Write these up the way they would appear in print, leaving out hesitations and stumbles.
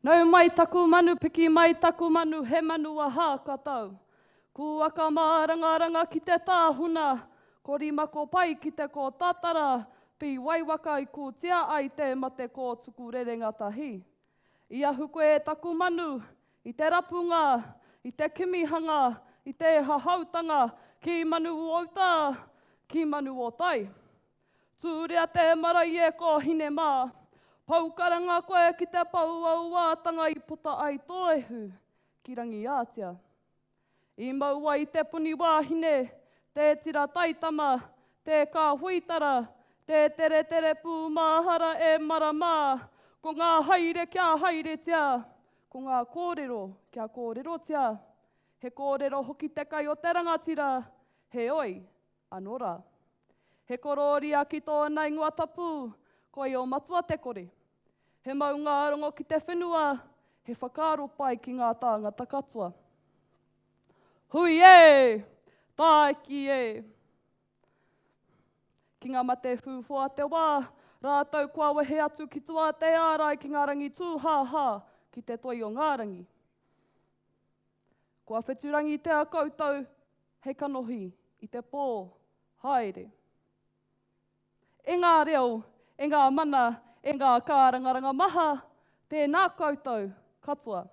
Nau mai taku manu, piki mai taku manu, he manu aha ka tau. Kūaka mārangaranga ki te tāhuna, ko Rimako pai ki te kōtatara, pīwaiwaka i kūtia ai te mate kōtuku rerenga tahi. I ahu koe e taku manu, i te rapunga, i te kimihanga, i te hahautanga, ki manu o uta, ki manu o tai. Tūria te marae e ko hine mā. Pou karanga koe ki te pouauātanga i puta ai tō ihu ki Rangiātea. I mau ai te puni wāhine, tē tira taitama, tē kāhuitara, tē teretere pūmāhara e mara mā, ko ngā haere kia haeretia, ko ngā kōrero kia kōrerotia. He kōrero hoki te kai o te rangatira, heoi, Ano ra. He kororia ki tōna ingoa tapu, ko Io Matua te Kore. He maungārongo ki te whenua, he whakaaro pai ki ngā tāngata katoa. Hui e! Tāiki e! Ki ngā mate whūwhua te wā, rātou kua wehe atu ki tua te ārai ki ngā rangi tūhāhā, ki te toi o ngā rangi. Kua wheturangitea koutou hei kanohi i te pō haere. E ngā reo, e ngā mana, e ngā kārangaranga maha, tēnā koutou katoa.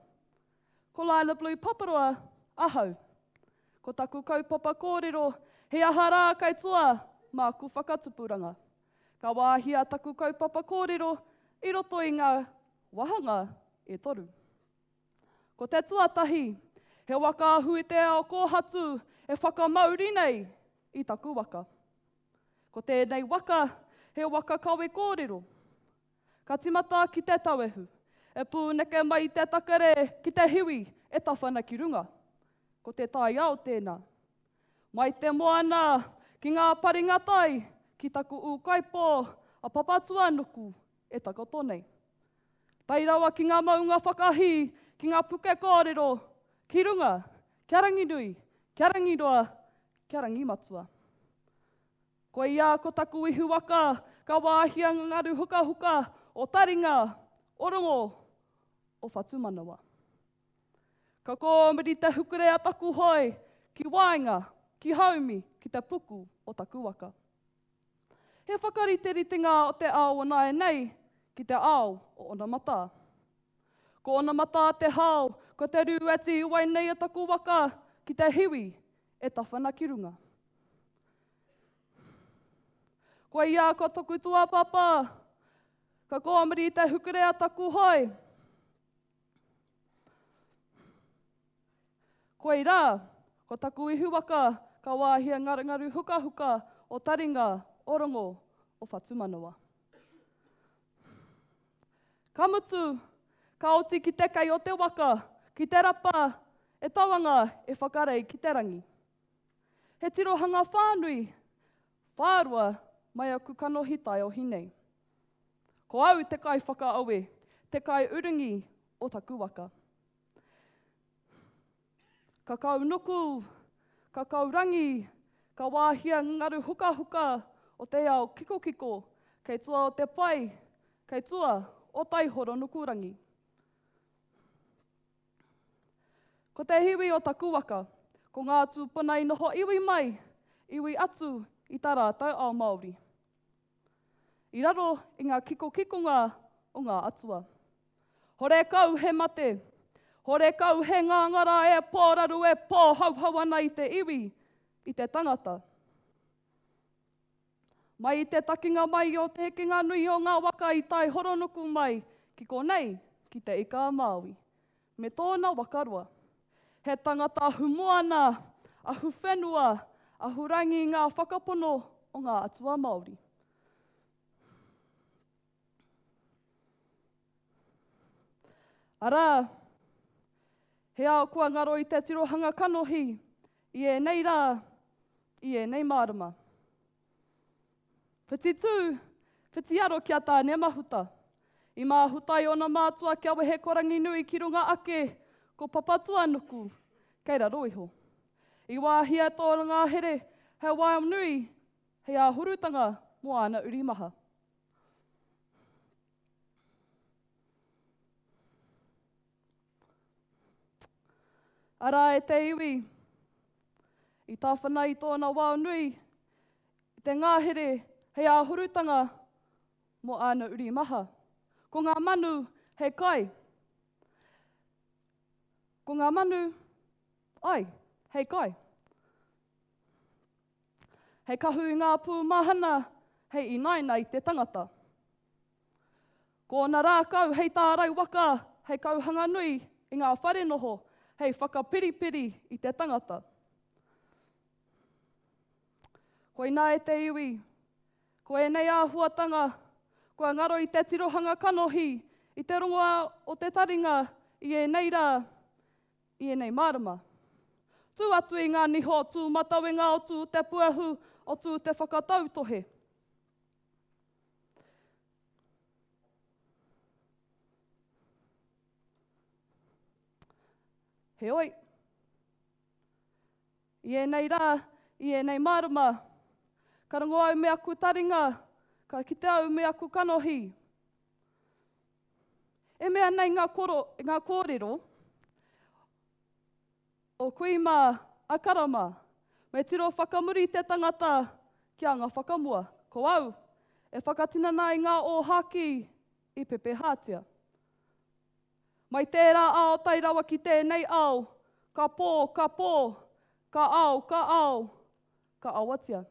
Ko Lila Blue Paparoa ahau. Ko taku kaupapa kōrero, he aha rā kei tua māku whakatupuranga. Ka wāhia taku kaupapa kōrero i roto i ngā wāhanga e toru. Ko te tuatahi, he waka ahu i te ao kōhatu e whakamauri nei i taku waka. Ko tēnei waka, he waka kawe kōrero. Ka timata ki te tauehu, e pūneke mai i te takere ki te hiwi e tawhana ki runga. Ko te taiao tēnā. Mai te moana ki ngā paringa tai ki taku ūkaipō a Papatūānuku e takoto nei. Tae rawa ki ngā maunga whakahī, ki ngā puke kōrero, ki runga, kia Ranginui, kia Rangiroa, kia Rangimatua. Koia ko taku ihu waka, ka wāhia ngā ngaru hukahuka o taringa, o rongo, o whatumanawa. Ka kōmiri te hukure a taku hoe ki waenga, ki haumi, ki te puku o taku waka. He whakariteritenga o te ao o nāianei ki te ao o onamata. Ko onamata te hao, ko te rū e tīwai nei e taku waka ki te hiwi e tawhana ki runga. Koia ko toku tuapapa, ka kōmiri te hukure a taku hoe. Koirā, ko taku ihu waka ka wāhia ngarungaru hukahuka o taringa, o rongo, o whatumanawa. Ka mutu, ka oti ki te kei o te waka, ki te rapa, e tauanga e whakarei ki te rangi. He tirohanga whānui, whāroa mai aku kanohi taiohi nei. Ko au te kaiwhakaawe, te kaiurungi o taku waka. Ka kaunuku, ka kaurangi, ka wāhia ngaru hukahuka o te ao kikokiko kei tua o te pae, kei tua o Taihoro-nukurangi. Ko te hiwi o taku waka, ko ngā tūpuna i noho iwi mai, iwi atu i tā rātou ao Māori. I raro i ngā kikokikonga o ngā atua. Horekau he mate, horekau he ngāngara e pōraru e pōhauhau ana i te iwi, i te tangata. Mai i te takinga mai o te hekenga nui o ngā waka i tae horonuku mai ki konei, ki Te Ika-a-Māui, me tōna waka roa. He tangata ahumoana, ahuwhenua, ahurangi ngā whakapono o ngā atua Māori. Arā, he ao kua ngaro i te tirohanga kanohi i ēnei rā, i ēnei mārama. Whiti tū, whiti aro ki a Tāne Mahuta. I māhuta i ōna mātua kia wehe ko Ranginui ki runga ake, ko Papatuanuku kei raro iho. I wāhia tōna ngahere hei waea nui, hei āhurutanga mō āna uri maha. Arā e te iwi, i tāwhana i tōna wao nui, i te ngahere hei āhurutanga mō āna uri maha. Ko ngā manu hei kai. Ko ngā manu, ai, hei kai. Hei kahu i ngā pū mahana, hei inaina i te tangata. Ko ōna rākau hei tārai waka, hei kauhanga nui i ngā whare noho, hei whakapiripiri i te tangata. Koinā e te iwi, ko ēnei āhuatanga kua ngaro i te tirohanga kanohi, i te rongoā o te taringa i ēnei rā, i ēnei marama. Tū atu i ngā niho o Tūmatauenga o Tū te Puehu, o Tū te Whakatautohe. Heoi, i ēnei rā, i ēnei marama, ka rongo au me aku taringa, ka kite au me aku kanohi. E mea nei ngā, koro, ngā kōrero o kui mā a kara mā, me tiro whakamuri te tangata ki anga whakamua. Ko au, e whakatinana i ngā ōhākī i pepehātia. Mai tērā ao tae rawa ki tēnei ao, ka pō, ka pō, ka ao, ka ao, ka awatia.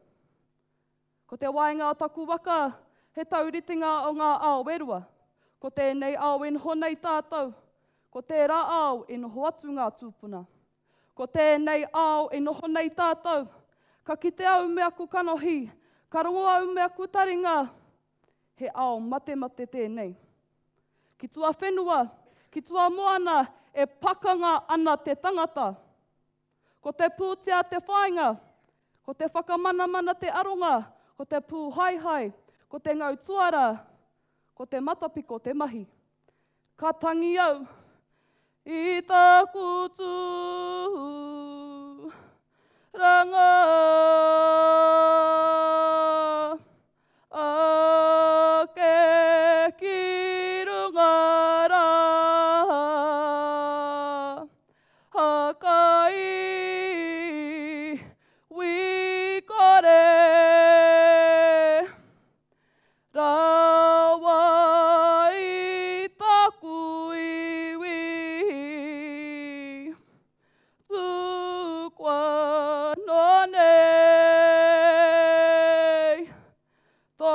Ko te waenga o taku waka, he tauritenga o ngā ao e rua. Ko tēnei ao e noho nei tātou, ko tērā ao e noho atu ngā tūpuna. Ko tēnei ao e noho nei tātou, ka kite au me aku kanohi, ka rongo au me aku taringa, he ao matemate tēnei. Ki tuawhenua, ki tuamoana e pakanga ana te tangata. Ko te pūtea te whāinga, ko te whakamanamana te aronga, ko te pūhaehae, ko te ngau tuara, ko te matapiko te mahi. Ka tangi au i taku tūranga ake ki runga rā. Hakai wi kore rawa i taku iwi tukua noa nei tō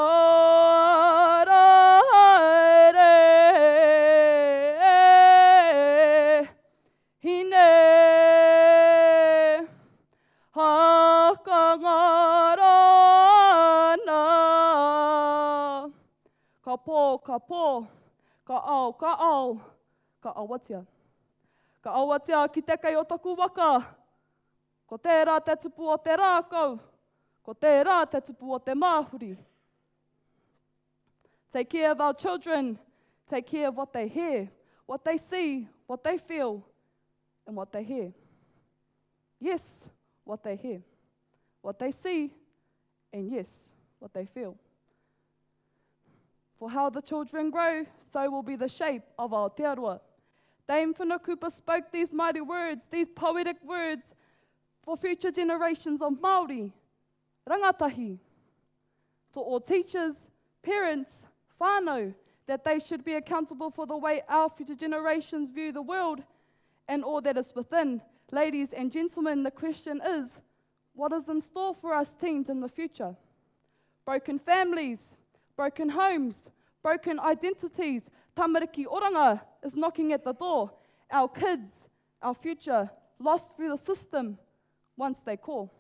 ara haere Hine hakangaro ana. Ka pō, ka pō, ka ao, ka ao, ka awatea. Ka awatea ki te kei o taku waka, ko tērā te tupu o te rākau, ko tērā te tupu o te māhuri. Take care of our children, take care of what they hear, what they see, what they feel, and what they hear. Yes, what they hear, what they see, and yes, what they feel. For how the children grow, so will be the shape of Aotearoa. Dame Whina Cooper spoke these mighty words, these poetic words, for future generations of Māori, rangatahi. To all teachers, parents, whānau, that they should be accountable for the way our future generations view the world and all that is within. Ladies and gentlemen, the question is, what is in store for us teens in the future? Broken families, broken homes, broken identities, tamariki oranga is knocking at the door. Our kids, our future, lost through the system once they call.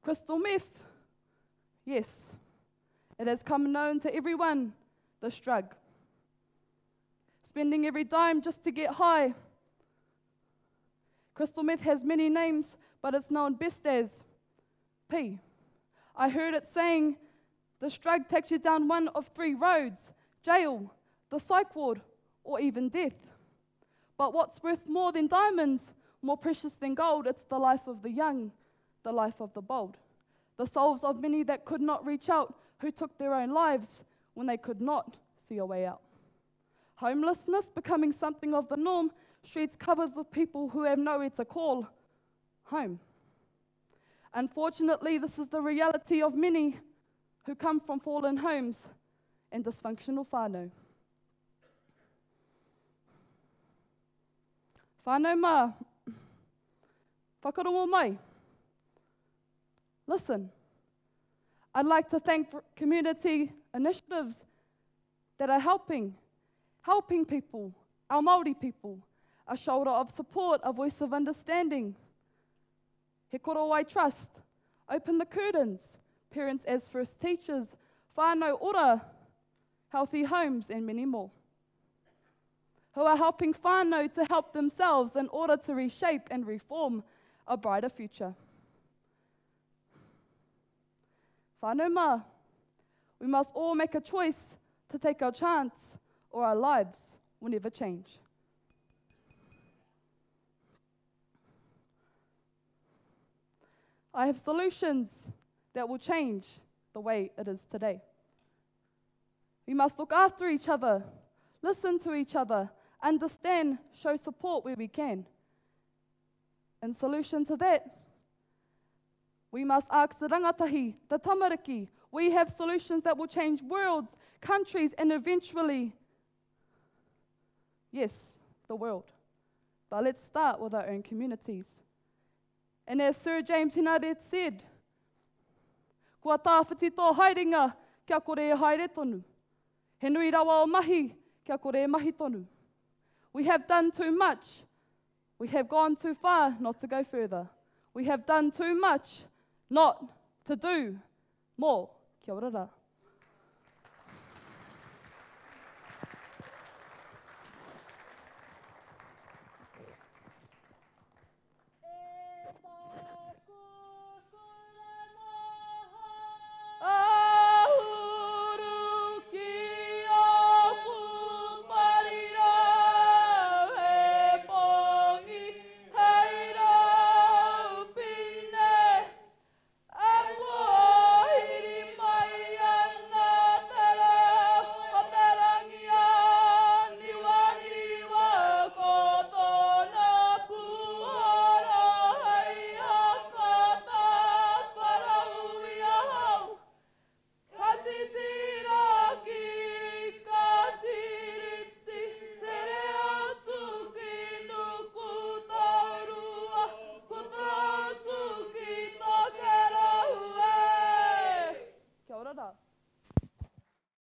Crystal meth, yes, it has come known to everyone, this drug. Spending every dime just to get high. Crystal meth has many names, but it's known best as P. I heard it saying this drug takes you down one of three roads jail, the psych ward, or even death. But what's worth more than diamonds, more precious than gold, it's the life of the young, the life of the bold. The souls of many that could not reach out, who took their own lives when they could not see a way out. Homelessness becoming something of the norm, Streets covered with people who have nowhere to call home. Unfortunately, this is the reality of many who come from fallen homes and dysfunctional whānau. Whānau mā, whakarongo mai. Listen, I'd like to thank community initiatives that are helping, helping people, our Māori people, a shoulder of support, a voice of understanding. He Korowai Trust, Open the Curtains, Parents as First Teachers, Whānau Ora, Healthy Homes, and many more, who are helping whānau to help themselves in order to reshape and reform a brighter future. Whānau mā, we must all make a choice to take our chance or our lives will never change. I have solutions that will change the way it is today. We must look after each other, listen to each other, understand, show support where we can. In solution to that, we must ask the rangatahi, the tamariki. We have solutions that will change worlds, countries, and eventually, yes, the world. But let's start with our own communities. And as Sir James Henare said, Kua tāwhiti tō haerenga kia kore e haere tonu. He nui rawa o mahi kia kore e mahi tonu. We have done too much. We have gone too far not to go further. We have done too much not to do more. Kia ora rā.